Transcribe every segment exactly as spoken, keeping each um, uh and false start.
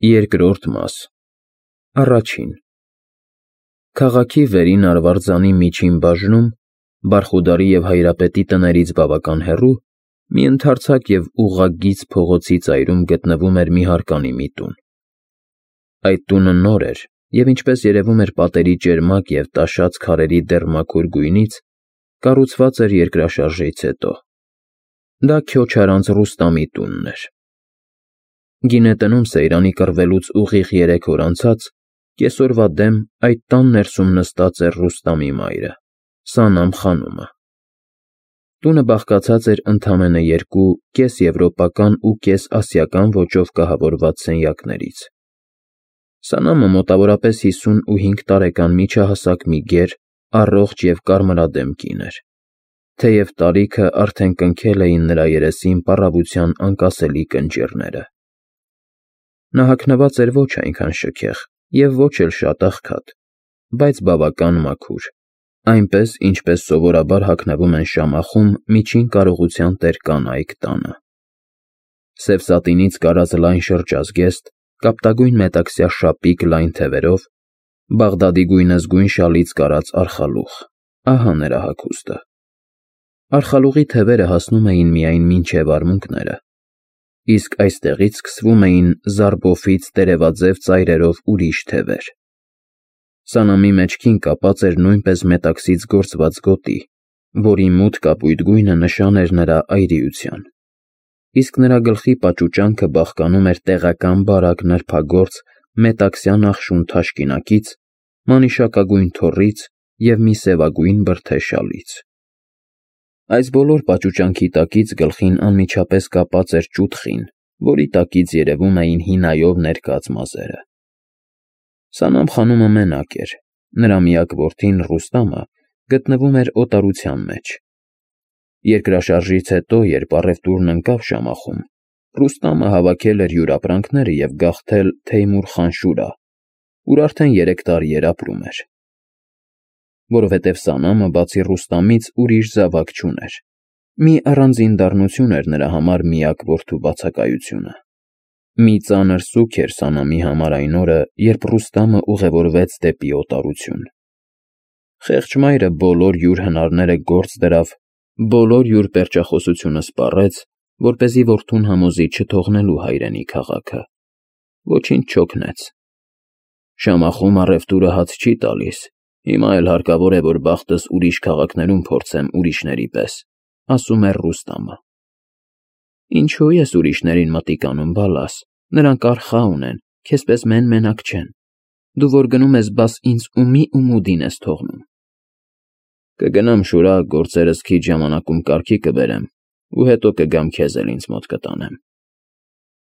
Երկրորդ մաս Առաջին Քաղաքի վերին Արվարձանի միջին բաժնում, Բարխուդարի և Հայրապետի տներից բավական հեռու, մի ընդարձակ և ուղղագիծ փողոցի ծայրում գտնվում էր մի հարկանի մի տուն։ Այդ տունը նոր էր և, ինչպես երևում էր պատերի ճերմակ և տաշած քարերի դեռ մաքուր գույնից, կառուցված էր երկրաշարժից հետո։ Դա Քյոչարանց Ռուստամի տունն էր։ Գինետնում Սեյրանի կռվելուց ուղիղ երեք օր անցած, կեսօրվա դեմ այդ տան ներսում նստած էր Ռուստամի մայրը՝ Սանամ խանումը։ Տունը բաղկացած էր ընդամենը երկու կես֊եվրոպական ու կես֊ասիական ոճով կահավորված սենյակներից։ Սանամը մոտավորապես հիսունհինգ տարեկան միջահասակ մի գեր, առողջ և կարմրադեմ կին էր, թեև տարիքը արդեն կնքել էին նրա երեսին պառավության անկասելի կնճիռները։ Նա հագնված էր ոչ այնքան շքեղ և ոչ էլ շատ աղքատ, բայց բավական մաքուր, այնպես, ինչպես սովորաբար հագնվում են Շամախում միջին կարողության տեր կանայք տանը։ Սև սատինից կարած լայն շրջազգեստ, կապտագույն մետաքսյա շապիկ լայն թևերով, Բաղդադի գույնզգույն շալից կարած արխալուղ, ահա նրա հագուստը։ Արխալուղի թևերը հասնում էին միայն մինչև արմունկները, իսկ այստեղից սկսվում էին զարբոֆից տերևաձև ծայրերով ուրիշ թևեր։ Սանամի մեջքին կապած էր նույնպես մետաքսից գործված գոտի, որի մութ կապույտ գույնը նշան էր նրա այրիության, իսկ նրա գլխի պաճուճանքը բաղկանում էր տեղական բարակ նրբագործ մետաքսյա նախշուն թաշկինակից, մանիշակագույն թոռից և մի սևագույն բրդե շալից։ Այս բոլոր պաճուճանքի տակից գլխին անմիջապես կապած էր ճուտ խին, որի տակից երևում էին հինայով ներկած մազերը։ Սանամ խանումը մենակ էր, նրա միակ որդին՝ Ռուստամը, գտնվում էր օտարության մեջ։ Երկրաշարժից հետո, երբ առևտուրն ընկավ Շամախում, Ռուստամը հավաքել էր յուր ապրանքները և գաղթել Թեյմուր խան Շուրա, ուր արդեն երեք տարի էր ապրում։ Որովհետև Սանամը բացի Ռուստամից ուրիշ զավակ չուներ։ Մի առանձին դառնություն էր նրա համար միակ որդու բացակայությունը։ Մի ծանր սուգ էր Սանամի համար այն օրը, երբ Ռուստամը ուղևորվեց դեպի օտարություն։ Խեղճ մայրը բոլոր յուր հնարները գործ դրավ, բոլոր յուր պերճախոսությունը սպառեց, որպեսզի որդուն համոզի չթողնելու հայրենի քաղաքը։ Ոչինչ չօգնեց։ Շամախում առևտուրը հաց չի տալիս, հիմա էլ հարկավոր է, որ բախտս ուրիշ քաղաքներում փորձեմ ուրիշների պես, ասում էր Ռուստամը։ Ինչո՞ւ ես ուրիշներին մտիկ անում, բալաս, նրանք արխա ունեն, քեզպես մեն֊մենակ չեն, դու որ գնում ես, բաս ինձ ումի ումուդին ես թողնում։ Կգնամ Շուրա, գործերս քիչ ժամանակում կարգի կբերեմ ու հետո կգամ քեզ էլ ինձ մոտ կտանեմ։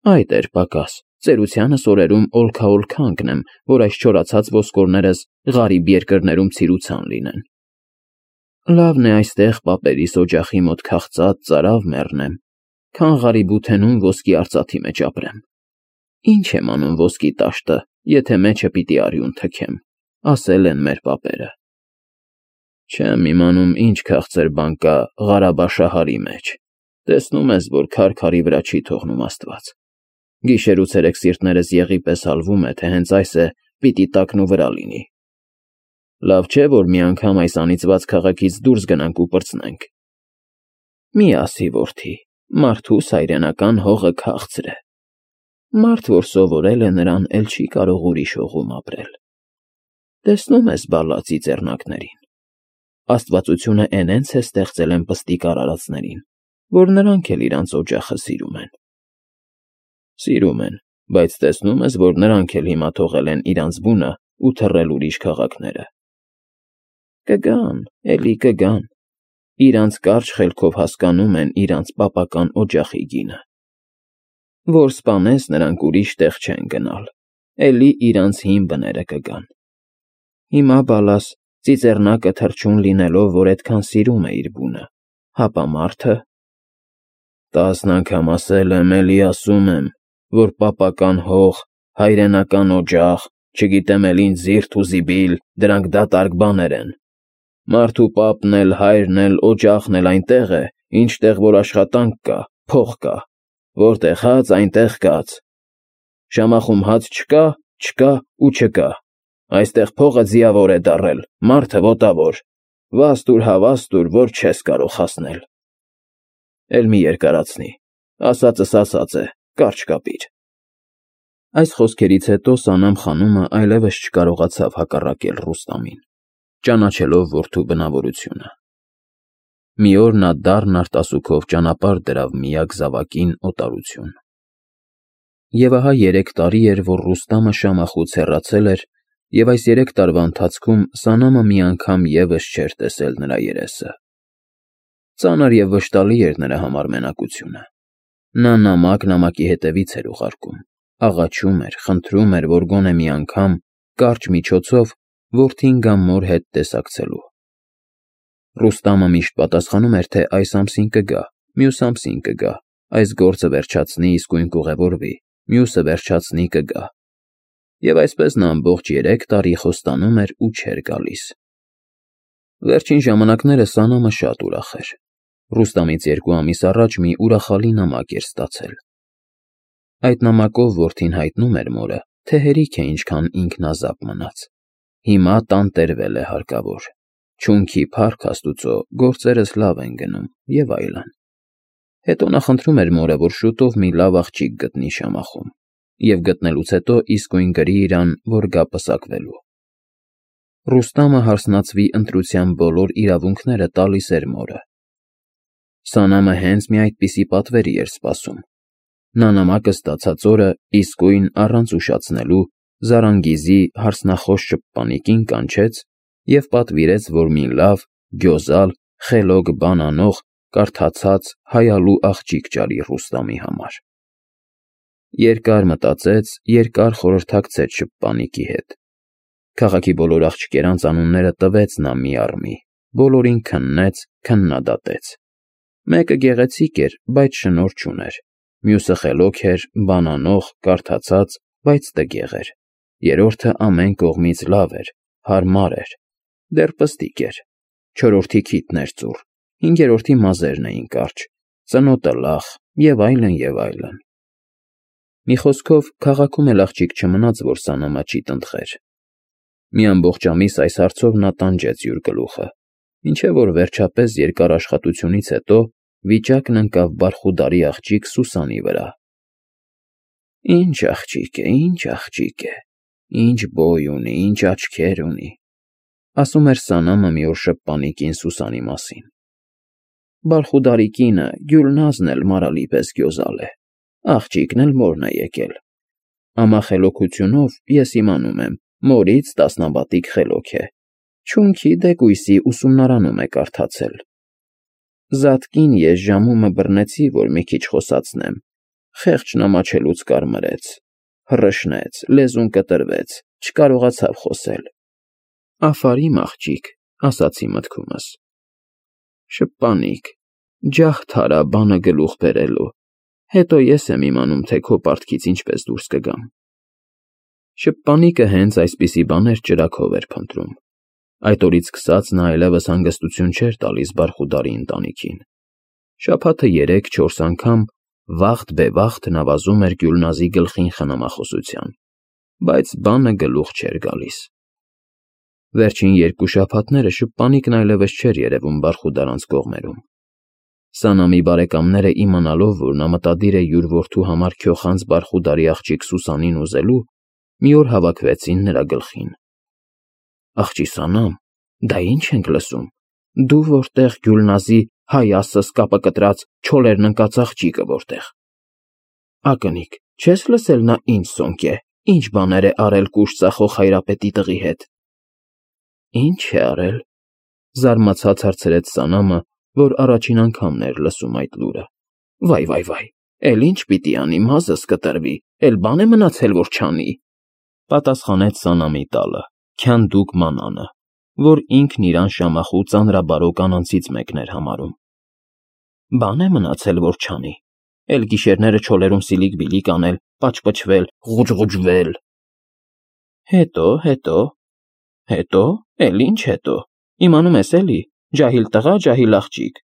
Այդ էր պակաս, ծերությանս օրերում օլքա֊օլքա ընկնեմ, որ այս չորացած ոսկորներս ғարիբ երկրներում ցիրուցան լինեն։ Լավն է այստեղ պապերիս օջախի մոտ քաղծած ծարավ մեռնեմ, քան Ղարիբութենում ոսկի արծաթի մեջ ապրեմ։ Ինչ եմ անում ոսկի տաշտը, եթե մեջը պիտի արյուն թքեմ, ասել են մեր պապերը։ Չեմ իմանում ինչ քաղցր բան կա Ղարաբաշահարի մեջ, տեսնում ես, որ քար քարի վրա չի թողնում Աստված։ Գիշեր ու ցերեկ սիրտներս եղի պես հալվում է, թե հենց այս է պիտի տակնու վրա լինի։ Լավ չէ, որ մի անգամ այս անիծված քաղաքից դուրս գնանք ու պրծնենք։ Մի ասի, որդի, մարդուս հայրենական հողը քաղցր է։ Մարդ, որ սովորել է, նրան էլ չի կարող ուրիշ հողում ապրել։ Տեսնում ես բալա ծիծեռնակներին։ Աստվածությունը էնենց է ստեղծել էնպստիկ արարածներին, որ նրանք էլ իրանց օջախը սիրում են։ Սիրում են, բայց տեսնում ես, որ նրանք էլ հիմա թողել են իրանց բունը ու թռել ուրիշ քաղաքները։ Կգան, էլի կգան, իրանց կարճ խելքով հասկանում են իրանց պապական օջախի գինը։ Որ սպանես, նրանք ուրիշ տեղ չեն գնալ, էլի իրանց հին բները կգան։ Հիմա բալաս ծիծեռնակը թռչուն լինելով, որ այդքան սիրում է իր բունը, հապա մարդը։ Տասն անգամ ասել եմ, էլի ասում եմ, որ պապական հող, հայրենական օջախ, չգիտեմ էլ ինչ զիրդ ու զիբիլ, դրանք դատարկ բաներ են։ Մարդու պապն էլ, հայրն էլ, օջախն էլ այնտեղ է, ինչտեղ որ աշխատանք կա, փող կա, որտեղ հաց, այնտեղ կաց։ Շամախում հաց չկա, չկա ու չկա։ Այստեղ փողը ձիավոր է դառել, մարդը ոտավոր։ Վաստուր հա վաստուր, որ չես կարող հասնել։ Էլ մի երկարացնի, ասածս ասած է, կարճ կապիր։ Այս խոսքերից հետո Սանամ խանումը այլևս չկարողացավ հակառակել Ռուստամին, ճանաչելով որդու բնավորությունը։ Մի օր նա դառն արտասուքով ճանապարհ դրավ միակ զավակին օտարություն։ Եվ ահա երեք տարի էր, որ Ռուստամը Շամախուց հեռացել էր, և այս երեք տարվա ընթացքում Սանամը մի անգամ ևս չէր տեսել նրա երեսը։ Ծանր և վշտալի էր նրա համար մենակությունը։ Նա նամակ նամակի հետևից էր ուղարկում, աղաչում էր, խնդրում էր, որ գոնե մի անգամ, կարճ միջոցով, որդին գա մոր հետ տեսակցելու։ Ռուստամը միշտ պատասխանում էր, թե այս ամսին կգա, մյուս ամսին կգա, այս գործը վերջացնի, իսկույն կուղևորվի, մյուսը վերջացնի, կգա։ Եվ այսպես նա ամբողջ երեք տարի խոստանում էր ու չէր գալիս։ Վերջին ժամանակները Սանամը շատ ուրախ էր։ Ռուստամից երկու ամիս առաջ մի ուրախալի նամակ էր ստացել։ Այդ նամակով որդին հայտնում էր մորը, թե հերիք է ինչքան ինքնազապ մնաց։ Հիմա տանտերվել է հարկավոր։ Չունքի փառք Աստուծո, գործերս լավ են գնում և այլն։ Հետո նա խնդրում էր մորը, որ շուտով մի լավ աղջիկ գտնի Շամախում, և գտնելուց հետո իսկույն գրի իրան, որ գա պսակվելու։ Ռուստամը հարսնացվի ընտրության բոլոր իրավունքները տալիս էր մորը։ Սանամը հենց մի այդպիսի պատվերի էր սպասում։ Նա նամակը ստացած օրը իսկույն առանց ուշացնելու Զարանգիզի հարսնախոս շփպանիկին կանչեց և պատվիրեց, որ մի լավ, գյոզալ, խելոք բան անող, կարդացած, հայալու աղջիկ ճարի Ռուստամի համար։ Երկար մտածեց, երկար խորհրդակցեց շփպանիկի հետ։ Քաղաքի բոլոր աղջիկերանց անունները տվեց նա մի առ մի, բոլորին քննեց, քննադատեց։ Մեկը գեղեցիկ էր, բայց շնորհ չուներ, մյուսը խելոք էր, բան անող, կարդացած, բայց տգեղ էր, երրորդը ամեն կողմից լավ էր, հարմար էր, դեռ պստիկ էր, չորրորդի քիթն էր ծուռ, հինգերորդի մազերն էին կարճ, ծնոտը լախ և այլն, և այլն։ Մի խոսքով, քաղաքում էլ աղջիկ չմնաց, որ Սանամը չի տնտղեր։ Մի ամբողջ ամիս այս հարցով նա տանջեց յուր գլուխը, մինչև որ վերջապես երկար աշխատությունից հետո վիճակն ընկավ բարխուդարի աղջիկ Սուսանի վրա։ Ինչ աղջիկ է, ինչ աղջիկ է, ինչ բոյ ունի, ինչ աչքեր ունի, ասում էր Սանամը մի օր շփպանիկին Սուսանի մասին։ Բարխուդարի կինը Գյուլնազն էլ մարալի պես գյոզալ է, աղջիկն էլ մորն է եկել։ Ամախելոքությունով ես իմանում եմ, մորից տասնապատիկ խելոք է, չունքի դեկույսի ուսումնարանում է կարդացել։ Զատկին ես ժամումը բռնեցի, որ մի քիչ խոսացնեմ, խեղճն ամաչելուց կարմրեց, հռշնեց, լեզուն կտրվեց, չկարողացավ խոսել։ Աֆարիմ աղջիկ, ասացի մտքումս։ Շփպանիկ, ջահդ արա բանը գլուխ բերելու, հետո ես եմ իմանում, թե քո պարտքից ինչպես դուրս կգամ։ Շփպանիկը հենց այսպիսի բաներ ճրագով էր փնտրում։ Այդ օրից սկսած նա այլևս հանգստություն չէր տալիս բարխուդարի ընտանիքին։ Շաբաթը երեք֊չորս անգամ վախտ֊բևախտ նվազում էր Գյուլնազի գլխին խնամախոսության, բայց բանը գլուխ չէր գալիս։ Վերջին երկու շաբաթները շփպանիկն այլևս չէր երևում բարխուդարանց կողմերում։ Սանամի բարեկամները իմանալով, որ նա մտադիր է յուր որդու համար քյոխանց բարխուդարի աղջիկ Սուսանին ուզելու, մի օր հավաքվեցին նրա գլխին։ Աղջի Սանամ, դա ինչ ենք լսում, դու որտեղ Գյուլնազի հայ ասս կապը կտրած չոլերն ընկած աղջիկը որտեղ։ Ակնիկ, չես լսել նա ինչ սոնք է, ինչ բաներ է արել կուշտ ծախող Հայրապետի տղի հետ։ Ինչ է արել, զարմացած հարցրեց Սանամը, որ առաջին անգամն էր լսում այդ լուրը։ Վայ, վայ, վայ, էլ ինչ պիտի անի, մազս կտրվի, էլ բան է մնացել, որ չանի, պատասխանեց Սանամի տալը, Քյանդուկ մանանը, որ ինքն իրան Շամախու ծանրաբարո կանանցից մեկն էր համարում։ Բան է մնացել, որ չանի, էլ գիշերները չոլերում սիլիկ-բիլիկ անել, պաճպճվել, ղուջղուջվել։ Հետո, հետո, հետո, էլ ինչ հետո, իմանում ես էլի, ջահիլ տղա, ջահիլ աղջիկ,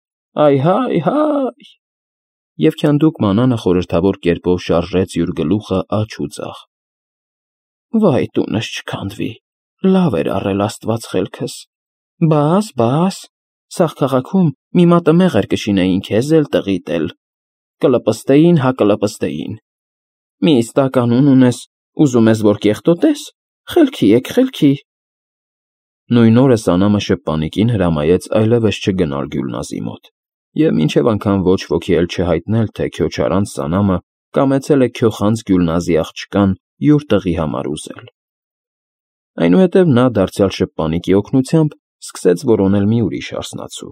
այ հայ, հայ։ և քանդուկ մանանը խորհրդավոր կերպով շարժեց յուր գլուխը աջ ու ձախ։ Վայ տունս չքանդվի, լավ էր առել աստված խելքս, բաս, բաս, սաղ քաղաքում մի մատը մեղր կշինեին քեզ էլ տղիդ էլ, կլպստեին, հա կլպստեին, մի ստականուն ունես, ուզում ես, որ կեղտոտես, խելքի եկ, խելքի։ Նույն օրը Սանամը շփպանիկին հրամայեց այլևս չգնալ Գյուլնազի մոտ, և մինչև անգամ ոչ ոքի էլ չհայտնել, թե քյոչարանց Սանամը կամեցել է քյոխանց Գյուլնազի աղջկան յուր տղի համար ուզել։ Այնուհետև նա դարձյալ շփպանիկի օգնությամբ սկսեց որոնել մի ուրիշ արսնացու։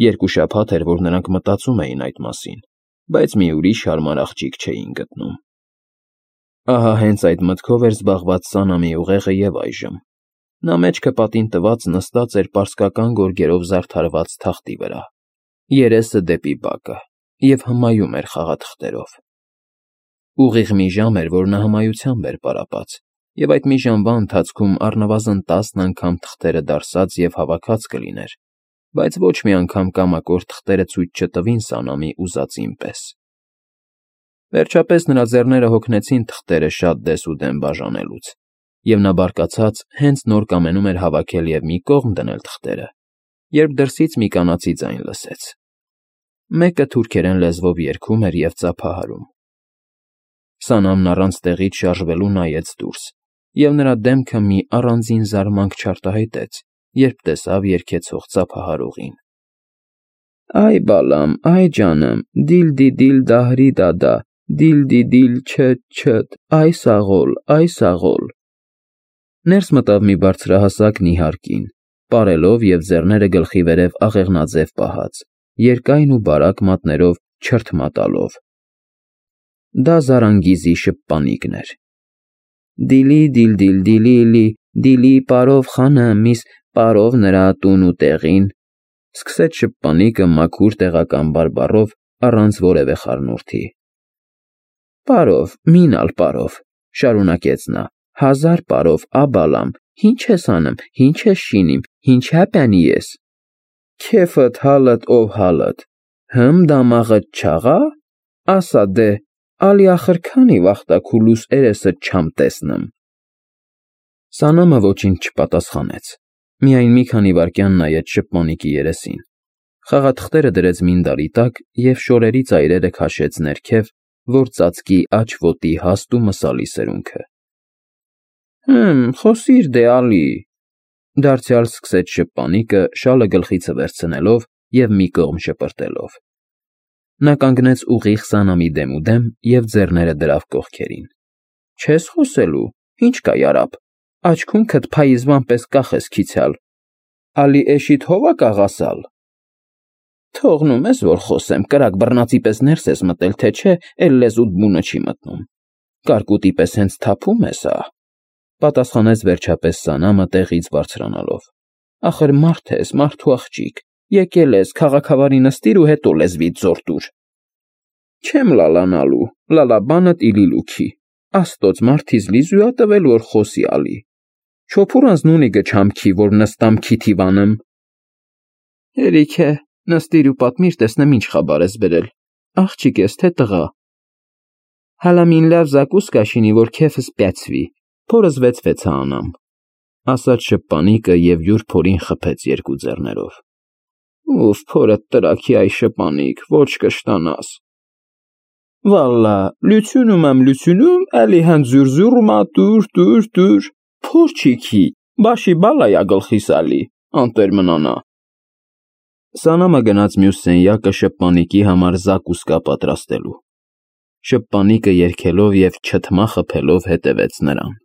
Երկու շաբաթ էր, որ նրանք մտածում էին այդ մասին, բայց մի ուրիշ հարմար աղջիկ չէին գտնում։ Ահա հենց այդ մտքով էր զբաղված Սանամի ուղեղը և այժմ։ Նա մեջքը պատին տված նստած էր պարսկական գորգերով զարդարված թախտի վրա, երեսը դեպի բակը, և հմայում էր խաղաթղթերով։ Ուղիղ մի ժամ էր, որ նա հմայությամբ էր պարապած, և այդ մի ժամվա ընթացքում առնվազն տասն անգամ թղթերը դարսած և հավաքած կլիներ, բայց ոչ մի անգամ կամակոր թղթերը ցույց չտվին Սանամի ուզածին պես։ Վերջապես նրա ձեռները հոգնեցին թղթերը շատ դեսուդեն բաժանելուց, և նա բարկացած հենց նոր կամենում էր հավաքել և մի կողմ դնել թղթերը, երբ դրսից մի կանացի ձայն լսեց։ Մեկը թուրքերեն լեզվով երգում էր և ծափահարում։ Սանամն առանց տեղից շարժվելու նայեց դուրս, և նրա դեմքը մի առանձին զարմանք չարտահայտեց, երբ տեսավ երգեցող ծափահարողին։ Այ բալամ, այ ջանմ, դիլ֊դի֊դիլ դահրի֊դադա, դիլ֊դի֊դիլ չը֊չըտ, այ սաղոլ, այ սաղոլ։ Ներս մտավ մի բարձրահասակ նիհար կին, պարելով և ձեռները գլխի վերև աղեղնաձև պահած, երկայն ու բարակ մատներով չրթ մատալով։ Դա Զարանգիզի շփպանիկն էր։ Դիլի֊դիլ֊դիլ դիլի֊լի, դիլի պարով խանեմ, միս պարով նրա տուն ու տեղին, սկսեց շփպանիկը մաքուր տեղական բարբառով առանց որևէ խառնուրդի։ Պարով, մինալ պարով, շարունակեց նա, հազար պարով, աբալամ, ինչ ես անում, ինչ ես շինիմ, ինչ հապյանի ես։ Քեֆըտ հալըտ ով հալըտ, հմ դամաղըտ չաղա, ասա դե, ալի ախր քանի վախտա քուլուս էրեսըտ չամ տեսնմ։ Սանամը ոչինչ չպատասխանեց, միայն մի քանի վայրկյան նայեց շփպանիկի երեսին, խաղաթղթերը դրեց մինդարի տակ և շորերի ծայրերը քաշեց ներքև, որ ծածկի աջ ոտի հաստ ու մսալի սրունքը։ Հըմ, խոսիր դե, ալի, դարձյալ սկսեց շփպանիկը շալը գլխիցը վերցնելով և մի կողմ շպրտելով։ Նա կանգնեց ուղիղ Սանամի դեմուդեմ և ձեռները դրավ կողքերին։ Չես խոսելու, ինչ կա յարապ, աչքունքդ փայիզվան պես կախ ես քիցյալ, ալի էշիդ հովա կաղասալ։ Թողնում ես, որ խոսեմ, կրակ բռնածի պես ներս ես մտել, թե չէ, էլ լեզուդ բունը չի մտնում, կարկուտի պես հենց թափում ես, ա, պատասխանեց վերջապես Սանամը տեղից բարձրանալով։ Ախր մարդ ես, մարդու աղջիկ, եկել ես, քաղաքավարի նստիր ու հետո լեզվիդ զոր տուր։ Չեմ լալանալու, լալաբանդ իլիլուքի, աստոց մարդիս լիզուա տվել, որ խոսի ալի։ Չոփուրանց նունիգը չամքի, որ նստամ քիթիվանım։ Հերիք է, նստիր ու պատմիր, տեսնեմ ինչ խաբար ես բերել, աղջիկ ես, թե տղա։ Հալամին լավ զակուս կաշինի, որ քեֆս պյացվի, փորս վեցվեց անամ, ասաց շփպանիկը և յուր փորին խփեց երկու ձեռներով։ Ուֆ, փորդ տրաքի այ շփանիկ, ոչ կշտանաս։ Վալլա, լյությունում եմ լյությունում, էլի հենց զուրզուրմա տուր, տուր, տուր, փորչիքի, բաշի բալայա գլխիս ալի, անտեր մնանա։ Սանամը գնաց մյուս սենյակը շփպանիկի համար զակուսկա պատրաստելու։ Շփպանիկը երգելով և չթմա խփելով հետևեց նրան։